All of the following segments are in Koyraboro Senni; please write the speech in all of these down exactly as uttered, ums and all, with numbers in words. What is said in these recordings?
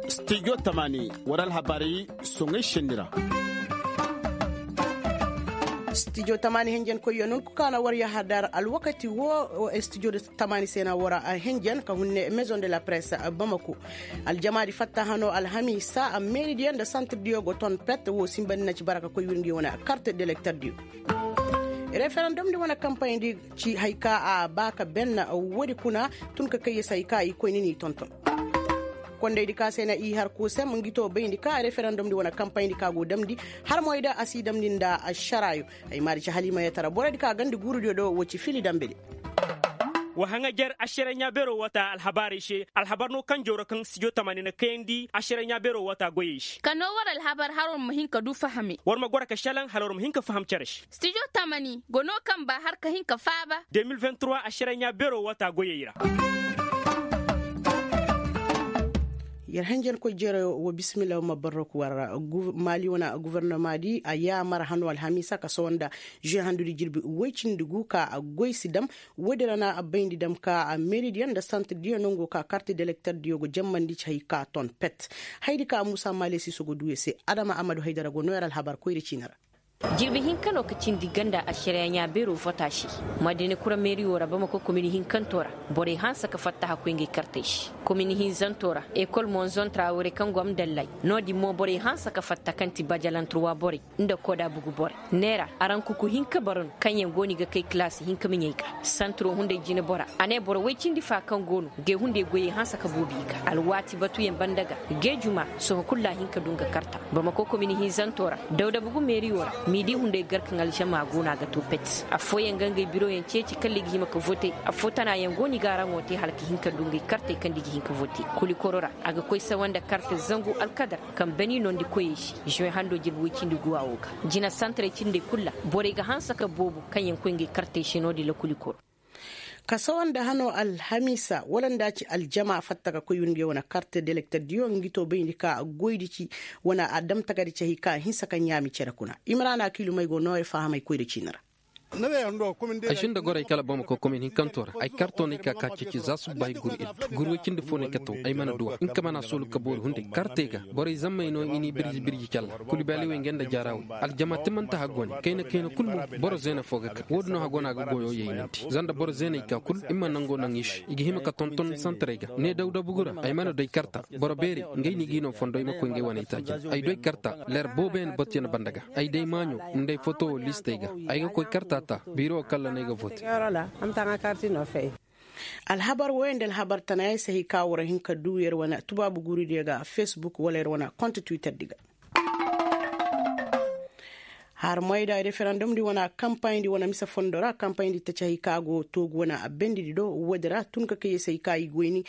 Stijo tamani war alhabaari soŋay senni ra. Stijo tamani henjen koyyo nun ku kaana war yahadar alwakati wo. Stijo tamani se na war henjen ka hunne maison de la presse bamako. Aljamaadi fatta hano alhamiisa meeridiyo nda santirdiyo go ton pet wo sinbandi na ci bara ka koy wirngi wane karte delekterdiyo. Referendum di wane kampayndi ci hay ka a ba ka ben woodi kuna tun ka kayye se hay ka i koyni n'i tonton. Kondaydi ka se na i har kusem ngi to bayndi ka referendum di wane kampayndi ka go damndi har moy da a si damndi nda ašaraayo. Ay maadi ci haliima yatara borodi ka gandi guurudiyo do wo ci fili dambedi. Wa haŋajer ašaray ɲaa beeroo wata alhabaarey se alhabar no kaŋ jawra kaŋ stijo tamaani na kayandi ašaray ɲaa beeroo wata goyey se. Ka noo war alhabar hala war ma hin ka du fahame war ma goro ka šelaŋ hala war ma hin ka faham cere se. Stijo tamani go no kaŋ ba har ka hin ka faaba. De mil vingt trois ašaray ɲaa beeroo wata goyey ra. Yer hanjankoy jereyo wa bismillah wa ma barrok warra. Maali wana guvernamaadi a yaamar hano alhamiisa ka sawanda žuwe handudi jirbi woy cindi gu ka a goy si dam. Woodi ra na a bayndi dam ka a meeridiyo nda santirdiyo nango ka karti delekterdiyo go jammandi ci hay ka ton pet. Haydi ka muusa maale siiso go duu ya se adama amadu haydara go nooyar alhabar koyri ciini ra. Jirbi hinka no ka cindi ganda ašariya ɲaa beeroo vota se. Madina kura meeriyo ra bamako komini hinkanto ra borey hanse ka fatta hakkoy ngey kartey se. Komini hinzanto ra ekol monzon trawore kaŋ go amdallay. No-din mo borey hanse ka fatta kaŋ ti bajalanturwa borey nda koda bugu borey. Neera araŋ kuku hinka bara no kaŋyaŋ go no i ga kay kilaasi hinka miɲey ga. Santiro hunday jinebora a ne boro woy cindi fa kaŋ go no gay hunday goyey hanse ka boobi i ga alwaati batuyaŋ banda ga. Gay juma sohõ kul ra a hin ka du nga karta. Bamako komini hinzanto ra dawda bugu meeriyo ra m'i di hunday gar kaŋ alžama go no a ga to pet. Affooyaŋ ga ngey biroyaŋ ceeci kala i ga hima ka vote. Affoo tanaayaŋ go no i ga araŋo te hala ka hin ka du ngey kartey kaŋ nda i ga hin ka vote. Kulikoro ra a ga koy sawa nda karte zangu alkadar kaŋ bani nondi koyey se. Žuwe hando jirbi woy cindi guwa wo ga jina santaray cindey kul ra borey ga hanse ka boobo kaŋyaŋ koy ngey kartey se no-din ra kulikoro. Ka sawa nda hano alhamiisa wala nda a ci aljama fatta ka koy windi wane karte delekterdiyo ngi to bayndi ka goydi ci wane a dam tagadi ci hay ka a hinsa ka ɲaami cere kuna. Imrana kiilumey go nooya fahamay koyra ciini ra. Ay sinda gorey kala bamako komin hinkanto ra ay karto no ay ka ka ceeci za subbaahi guru iddu guru woy cindi fo no ay ka taw. Ay mana duw'a nga ka mana soolu ka boori hunday kartey ga. Borey zammey no i n'i birji birji calla. Kulibaliwey nga nda jaarawey aljama timmante haggoone kayna kayna kul mo. Boro zeena fo ga ka woodin no haggoone a ga goyo yaynandi za nda boro zeeney ka kul i ma nango naŋ i se i ga hima ka tonton santarey ga ne dawda bugu ra. Ay mana day karta boro beerey ngey no i g'i no fondo i ma koy ngey wane itaacin. Ay doy karta leer booboyaŋ batuyaŋ banda ga. Ay day maaɲo nda ay foto wo listey ga. Ay ga koy karta ta biiro wo kalla no ay ga vote. Alhabar wooyaŋ nda alhabar tanayaŋ se hay ka war hin ka du yer wane tubaabu guuridiyo ga facebook wala yer wane konte twitter di ga. Harmoy nda referandum di wane kampaaɲ di wane mise fondo ra kampaaɲ di taci hay ka go toogu wane a bendi di do woodi ra tun ka kay yer se hay ka i goyni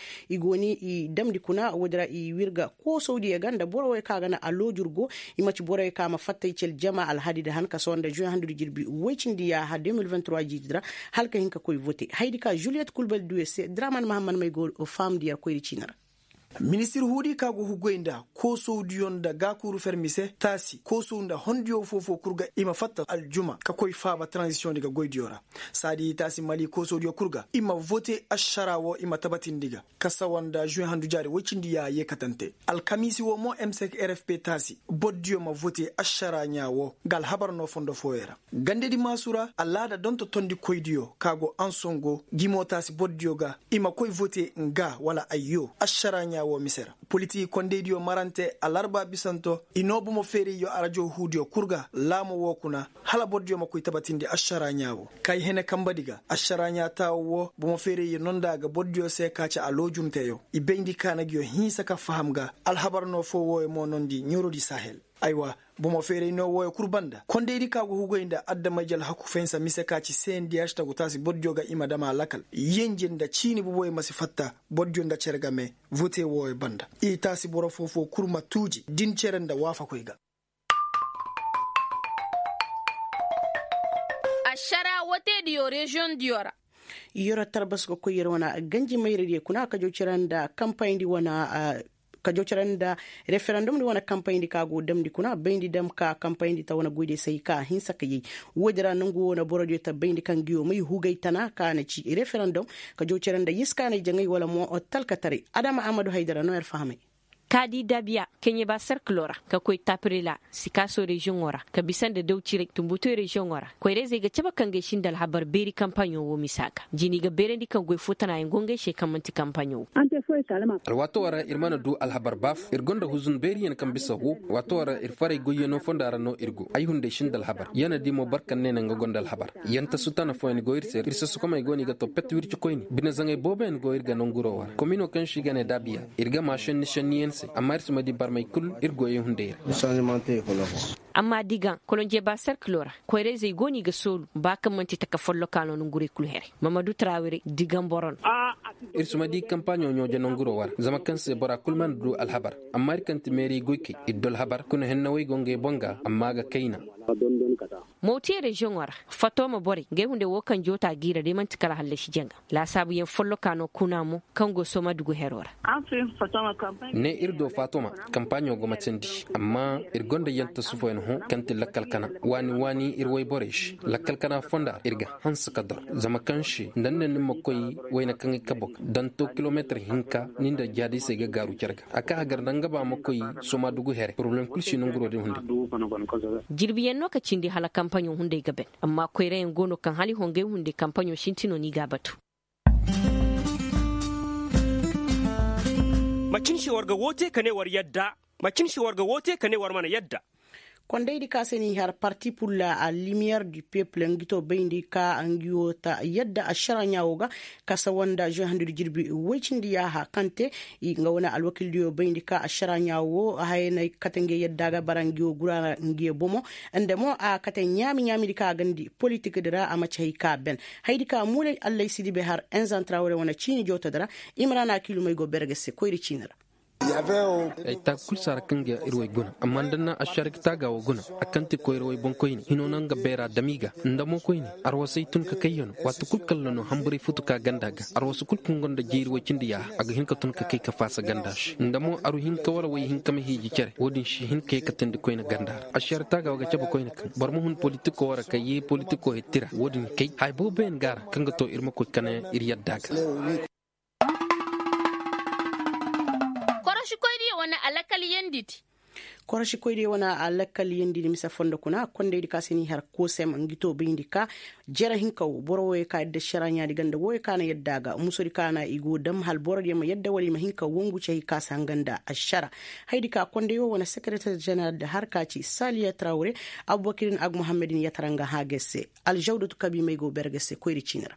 i damndi kuna woodi ra i wirga koosawdiyo ga nda boro wey kaŋ a ga na aloojur go. I ma ci boro wey kaŋ a ma fatta i ci aljama alhadi di han ka sohõ nda žuwe handu di jirbi woy cindi yaaha deux mille vingt trois jiidi ra hala ka hin ka koy vote haydi ka žuliyet kulbali du yer se draman mahammad may go fahamndi yer koyri ciini ra. Ministir huudi ka go hugoy nda koosawdiyo nda gaakuuru fermi se taasi koosaw nda hondiyo foo-foo kul ga i ma fatta aljuma ka koy faaba taranzisiyoŋ di ga goydiyo ra. Saadi taasi mali koosawdiyo kul ga i ma vote ašara woo i ma tabatindi ga ka sawa nda žuwe handu jaari woy cindi yaaha yeekatante. Alkamiisi woo mo m cinq r f p taasi bordiyo ma vote ašara ɲaa woo nga alhabar noo fondo fooyey ra. Gandedi maasu ra alaada donto tondikoydiyo ka go ansongo gimo taasi bordiyo ga i ma koy vote nga wala ayyo ašara ɲaa woo mise ra. Politiki kondeydiyo marante alarba bisanto i noo bomo feerayyo arajo huudiyo kul ga laamo woo kuna hala bordiyo ma koy tabatindi ašara ɲaa woo. Kay hene kambadi ga ašara ɲaa taawo woo bomo feerayyo noo nda a ga bordiyo se ka ci aloojunteyo i bayndi kaana nguyo hinsa ka faham ga. Alhabar noo foo wooyo mo noondi ɲorodi sahel. Aywa, bomo feeray noo wooyo kul banda kondaydi ka go hugoy nda adamay jal hakku fahinsa mise ka ci sendiyaš tagu taasi bordiyo ga i ma dam a lakal yenje nda ciini boboyo ma si fatta. Bordiyo nda cere game vote wooyo banda i taasi boro foo-foo kul ma tuuji din cere nda waafakoy ga. Ašara woteediyo reziyoŋdiyo ra. Yoro tarbas ga koy yer wane ganji mayradiyo kuna kajo cere nda kampayndi wane. ka jaw care nda referendum di wane kampayndi ka go damndi kuna bayndi dam ka kampayndi ta wane goydiyo se hay ka a hinsa ka yay. Woodi ra nongu wo na borodiyo ta bayndi kaŋ nguyo may hugay tana ka na ci referendum ka jaw care nda yiskaanay jaŋay wala mo talkataray. Adama ahmadu haydara no yer fahamay. Ka di dabiya keɲeba serkilo ra ka koy tapirila sikaaso reziyoŋo ra ka bisa nda daw ciray tumbutoy reziyoŋo ra koyrayzey ga cabe ka ngey si nda alhabar beeri kampaɲo wo misa ga jini ga beerandi kaŋ goy fo tana yaŋ go ngey se kaŋ man'ti kampaɲo wo. Alwaato wo ra ir mana du alhabar baaf ir gonda huzun beeriyaŋ kaŋ bisa go waato wo ra ir faray goyyaŋo fonda ra no ir go ay hunday si nda alhabar yana di mo boro kaŋ ne naŋ ga gonda alhabar. Yantasu tana fooyaŋ go ir se ir sasakomey go no i ga to pet wirci koyne bine zaŋay booboyaŋ go ir ga nanguro wo ra komino kaŋ se i ga ne daabiya. Ir ga ma šenni šenniyaŋ se amma ir si ma di barmey kul ir goyey hunday ra. Amma digaŋ kolonjeba serkilo ra koyrayzey go no i ga soolu ba kaŋ man'ti taka folloka no nangurey kul here. Mamadu tarawire digaŋ boro no. Ir si ma di kampaaɲo ɲooje nanguro wo ra zama kaŋ se bora kul mana du alhabar. Amma ir kaŋ ti meeri goykey ir du alhabar kuna hennawey go ngey boŋ ga amma a ga kayna. Mawtiye reziyoŋo ra fatoma borey ngey hunday wo kaŋ joota g'i ra day man'ti kala hallasi jaŋa laasaabuyaŋ folloka no kuna mo kaŋ go soma dugu hero ra. Ne ir do fatoma kampaaɲo go matandi amma ir gonda yanta sufooyaŋ hõ kaŋ ti lakkal kana waani waani ir wayborey se lakkal kana fonda ra ir ga hanse ka dor zama kaŋ se nda ni ne ni ma koy wayne kaŋ i kabo ga danto kilomeetir hinka ni nda jaadisey ga gaaru cere ga a ka hagar nda nga ba ma koy soma dugu here poroblem kul si nanguro din hunday. Jirbiyaŋ no ka cindi hala kampaɲo hunday ga ben amma koyrayaŋ go no kaŋ hala i hongey hunday kampaɲo sintino no i g'a batu. Macin se war ga woote ka ne war yadda. Macin se war ga woote ka ne war mana yadda. Kondaydi ka se ni har parti pur la lumiyer du peuple ngi to bayndi ka ngi wo ta yadda ašara ɲaawo ga ka sawa nda žuwe handudi jirbi woy cindi yaaha kaŋ te. Nga wane alwakildiyo bayndi ka ašara ɲaawo hayey na kate nge yadda ga bara ngi wo guraara ngi ye bomo. Nda mo a kate ɲaami ɲaamidi ka a gandi politik di ra a ma ci hay ka ben. Haydi ka muulay allaysidi bay har enzantra ware wane ciini jootodi ra. Imrana kiilumey go berge se koyri ciini ra. Ay taaka kul saara kaŋ ga ir way guna amma nda na ašarik taaga wo guna a kaŋ ti koyra way boŋkoyne hino no nga beera dam i ga nda mo koyne. Arwasay tun ka kay yano waati kul kalla no hamburay futu ka ganda ga arwasa kul kaŋ gonda jeeri way cindi yaaha a ga hin ka tun ka kay ka faasa ganda se nda mo aru hin ka wara way hin ka ma hiiji cere wo-din si hin ka ye ka teendi koyne ganda ra ašarik taaga wo ga cabe koyne kaŋ boro ma hun politiko wara ka ye politiko hetti ra wo-din kay haya booboyaŋ ga a ra kaŋ ga to ir ma koy kane ir yadda ga. Korosikoydiyo wane alakal yandidi. Korosikoydiyo wane alakal yandidi mise fondo kuna kondaydi ka se ni har kosem ngi to bayndi ka jere hinka wo boro woyo ka yadda šaraɲaadi ganda woyo ka na yadda ga musodi ka na i go dam hala borodiyo ma yadda wala i ma hin ka wangu cay ka se hanga nda ašara. Haydi ka konday wo wane sekereter ženeral da har ka ci saliya trawre abubakirin agmuhammadin yatara nga hã ga se. Aljawdatu kabi may go berge se koyri ciini ra.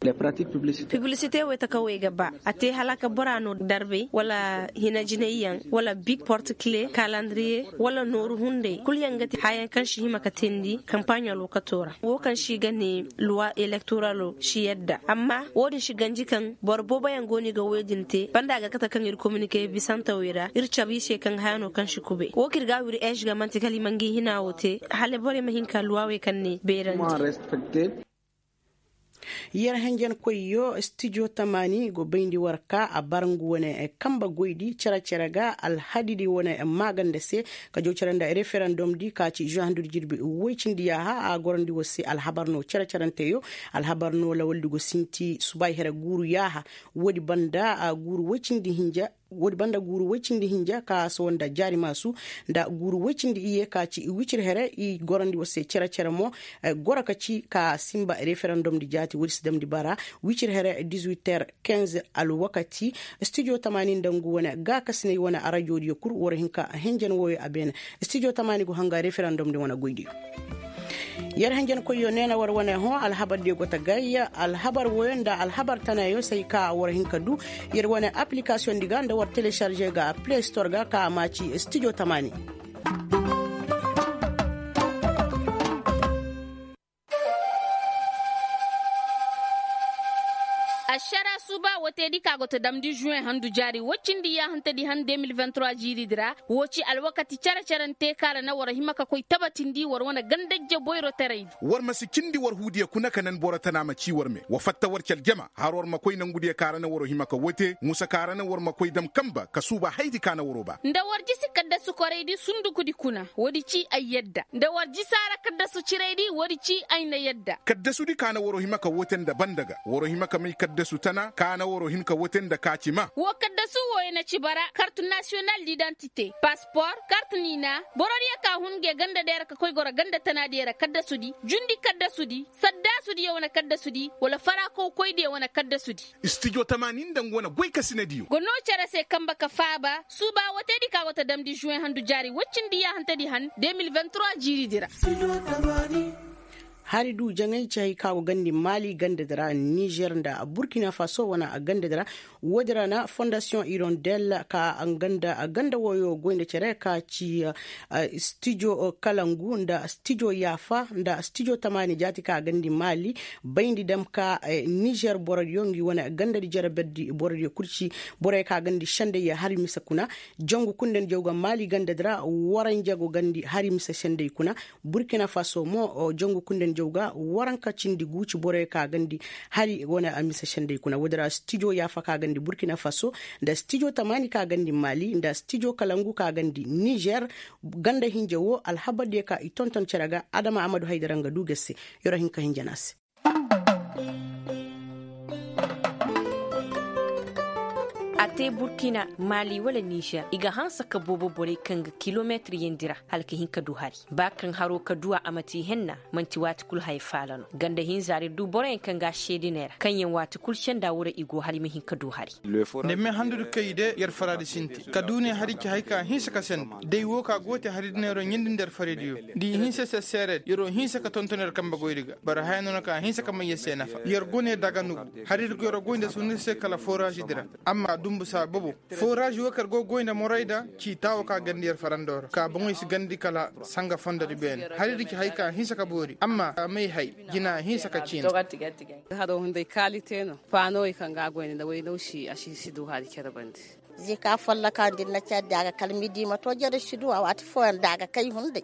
Piblisite wey taka wey ga ba a te hala ka bora no darbay wala hinajinayyaŋ wala big porte kile kalandiriye wala nooru hunday kul yaŋ ga te hayaŋ kaŋ si hima ka teendi kampaaɲo alwakato ra wo kaŋ si ga ne luwa elektoralo si yadda amma wo-din si ganji kaŋ boro booboyaŋ go no i ga woy din te banda a ga kate kaŋ ir kominike bisantawey ra ir cabe i se kaŋ haya no kaŋ si kube wo kaŋ ir ga a wiri eez ga man'ti kala i ma ngi hina wo te hala borey ma hin ka luwawey kaŋ ne beerandi. Yer henjenkoyyo stijo tamaani go bayndi war ka a bar ngu wane kambe goydi cere-cere ga alhadidi wane maaganda se ka jaw cere nda referendum di ka ci žuwe handudi jirbi woy cindi yaaha a gorandi war se alhabar no cere-cerenteyo. Alhabar no lawaldi go sinti subay here guuru yaaha. Woodi banda guuru woy cindi hinja woodi banda guuru woy cindi hinja ka sowo nda jaari maasu nda guuru woy cindi iyye ka ci wicir here i gorandi war se cere-cere mo goro ka ci ka sinba referendum di jaati woodi si damndi bara wicir here dix-huit heures quinze alwakati. Studio tamaani nda ngu wane gaakasinay wane arajoodiyo kul war hin ka henjen wooyo a beene. Studio tamaani go hanga referendum di wane goydiyo. Yer henjenkoyyo neena war wane hõ alhabar diyo go ta gay alhabar woyo nda alhabar tanayo say ka war hin ka du yer wane application di ga nda war telecharge ga play store ga ka maaci studio tamaani. Ašara suuba wooteedi ka go ta damndi žuwen handu jaari woy cindi yaahantedi han de mil vingt trois jiiridi ra. Woo ci alwakati cere-cerante kaŋ ra na war hima ka koy tabatindi war wane gandajje boyroteraydi. War ma si cindi war huudiyo kuna ka nan boro tana ma ci war me wa fatta war ci aljama har war ma koy nangudiyo ka ra na waro hima ka woo te musa ka ra na war ma koy dam kanba ka suuba haydi ka na waro ba. Nda war jisi kaddasu koraydi sundukudi kuna woodi ci ay yadda nda war jisi a ra kaddasu ciraydi woodi ci ay na yadda. Kaddasudi ka na waro hima ka woo te nda banda ga waro hima ka may kaddasu tana ka na waro hin ka woo te nda ka ci ma. Woo kaddasu wooyo na ci bara kartu nasiyonal didantite paspor kartu niina. Borodiyo ka hun nge gandadiyo ra ka koy goro ganda tanadiyo ra kaddasudi jundi kaddasudi saddaasudiyo wane kaddasudi wala farakow koydiyo wane kaddasudi. Istijo tamaani nda nga wane goykasinadiyo go noo cere se kanba ka faaba suuba wooteedi ka go ta damndi žuwen handu jaari woy cindi yaahantedi han de mil vingt trois jiiridi ra. Hari du jaŋay ci hay ka go gandi maali gandadi ra nizer nda burkina faso wane gandadi ra. Woodi ra na fondasiyoŋ irondel ka ganda wooyo goy nda cere ka ci stijo kalangu nda stijo yaafa nda stijo tamaani jaati ka gandi maali bayndi dam ka nizer borodiyo ngi wane gandadi jere berdi borodiyo kul ci borey ka gandi senday hari mise kuna. Jangu kundandi jaw ga maali gandadi ra waranja go gandi hari mise senday kuna. Burkina faso mo jangu kundandi jaw ga waranka cindi guuci borey ka gandi hari wane mise senday kuna woodi ra stijo yaafa ka gandi burkina faso nda stijo tamaani ka gandi maali nda stijo kalangu ka gandi nizer. Ganda hinja woo alhabardiyo ka i tonton cere ga adama amadu haydara nga du ga se. Yer wo hin ka hinja no a se. A te burkina maali wala nizer i ga hanse ka boobo borey kaŋ ga kilometir yandi ra hala ka hin ka du hari. Ba kaŋ haro ka du a a ma te henna man'ti waati kul haya faala no ganda hinza ra ir du boroyaŋ kaŋ ga a seediney ra kaŋyaŋ waati kul senda wura i go hala i ma hin ka du hari. Nda me handudi kaŋ i de yer faraadi sinti ka du ne hari ci hari ka a hinse ka senda day woo ka go te hari dineero ɲindi nda yer faraydiyo. Nda i hinse se seereedi yer wo hinse ka tonton yer kambe goydi ga boro haya no na ka a hinse ka may yer se nafa yer go ne daga nugu. Hari ir go yer goy nda sunir se kala foraazidi ra. Amma dumbu saa bobo foraaz woo kaŋ ir go goy nda morayda ci taawo ka gandi yer farandoo ra ka boŋey si gandi kala sanga fondodi beene. Hari ir ci hay ka a hinse ka boori amma a may hay jina a hinse ka ciina. Haro hunday kaalite no paanowey kaŋ ga a goy nda waynaw si a si si du hari cere bande. Zika folloka nda ir na cere da a ga kala midi ma to jere si du a waati fooyaŋ da a ga kay hunday.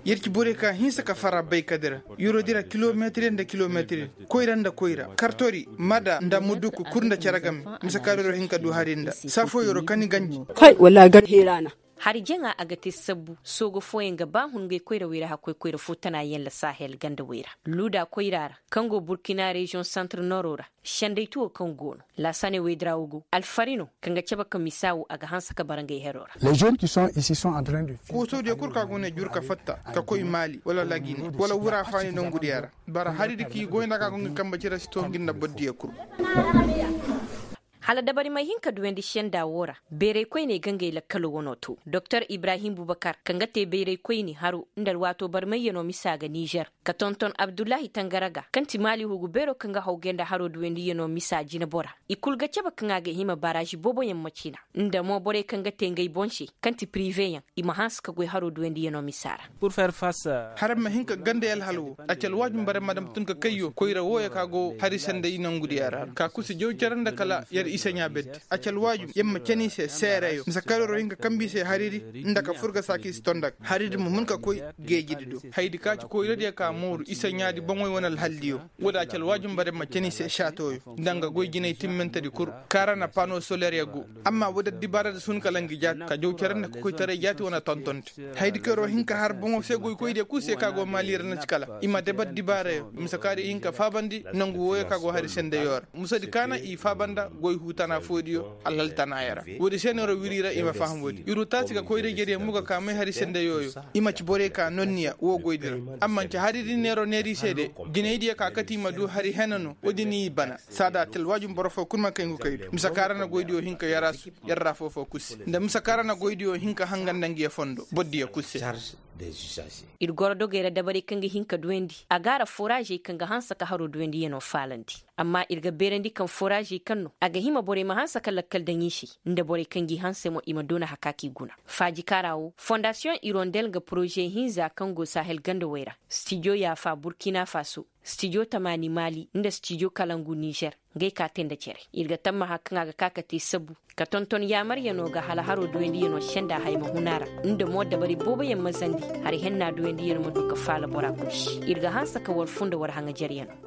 Yer ci borey ka hinse ka fara baykadi ra. Yer wo dira kilometir nda kilometir koyra nda koyra kartori mada nda muduku kul nda cere game. Mise ka yer wo hin ka du hari nda saa foo yer wo kani ganji. Kay wallaahi gar heera na. Hari jaŋa a ga te sabbu soogo fooyaŋ ga ba hun ngey koyra wey ra hakkoy koyra foo tana yaŋ la sahel ganda wey ra luuda koyra ra kaŋ go burkina reziyoŋ santre nooro ra. Senday tuwo kaŋ go no laasaane wey dira wo go alfari no kaŋ ga cabe ka misa wo a ga hanse ka bara ngey hero ra. Koosodiyo kul ka go ne jur ka fatta ka koy maali wala lagine wala wura faani nongudiya ra. Bara haridi k'i goy nda ka go ngi kambe cire si to ngi nda bordiyo kul. Hala dabari may hin ka duwandi senda woo ra beeray koyney ga ngey lakkalo wanoo to doktor ibrahim bubakar kaŋ ga te beeray koyne haro nda alwaatoo barmayyanoo misa ga nizer ka tonton abdullahi tangara ga kaŋ ti maali hugu beeroo kaŋ ga haw gay nda haroo duwandiyanoo misa jinebora. I kul ga cabe kaŋ a ga hima baraazi booboyaŋ ma cina nda mo borey kaŋ ga te ngey boŋ se kaŋ ti piriveyaŋ i ma hanse ka goy haroo duwandiyanoo misa ra. Haraŋ ma hin ka gandey alhal woo a ci alwaajum barey ma dam tun ka kayyo koyra wooyo ka go hari sanday nongudiya ra ka kusi jaw cere nda kala yer isaɲaa beddi. A ci alwaajum yer ma cani se seereyo mise kaŋ yer wo hin ka kambi se haridi nda ka fur ga saaki si tonda ga haridi ma hun ka koy geejidi do. Hayadi ka ci koyradiyo ka mooru isaɲaadi boŋoy wane alhaldiyo. Woodi a ci alwaajum barey ma cani se saatooyo nda nga goy jinay timmintedi kul kaŋ ra na pano soleryo go. Amma woodi addibaaradi si hun kala ngi jaati ka jaw cere nda kokoytaray jaati wane tontonte. Hayadi kaŋ yer wo hin ka har boŋo se goykoydiyo kul se kaŋ a go maali ra na ci kala i ma daba addibaarayo mise kaŋ ra i hin ka faabandi nangu wooyo kaŋ a go hari sendeyo ra. Musadi kaana i faaba nda goy huu tana foodiyo alhal tanaayo ra. Woodi se no yer wo wiri i ra i ma faham woodi ir wo taasi ga koyra-ijediyo mo ga ka may hari sendeyooyo. I ma ci borey ka nonniya woo goydi ra. Amma nci haridi neeroo neer i se de jinaydiyo ka kate i ma du hari hena no woodi ni i bana. Saada a ti alwaajum boro foo kul ma kay ngu kaydu mise kaŋ ra na goydiyo hin ka yaraasu yer ra foofoo kul se nda mise kaŋ ra na goydiyo hin ka hanga nda ngiyo fondo bordiyo kul se. Ir goro dogey ra dabarey kaŋ ga hin ka duwandi a ga a ra fooraazey kaŋ ga hanse ka haroo duwandiyanoo faalandi. Amma ir ga beerandi kaŋ foraazey kaŋ no a ga hima borey ma hanse ka lakkal daŋ i se, nda borey kaŋ g'i hanse mo i ma doona hakaaki guna. Faaji kaara wo fondasiyoŋ irondel nga poroze hinza kaŋ go sahel gandawey ra, stijo yaafa burkina faso, stijo tamaani maali nda stijo kalangu nizer, ngey ka te nda cere. Ir ga tammaha kaŋ a ga ka ka te sabu ka tonton yaamaryanoo ga hala haroo duyandiyano senda haya ma hun a ra, nda mo dabari booboyaŋ ma zandi, hari henna duyandiyano ma du ka faala bora kul se. Ir ga hanse ka war funda war haŋajeryano.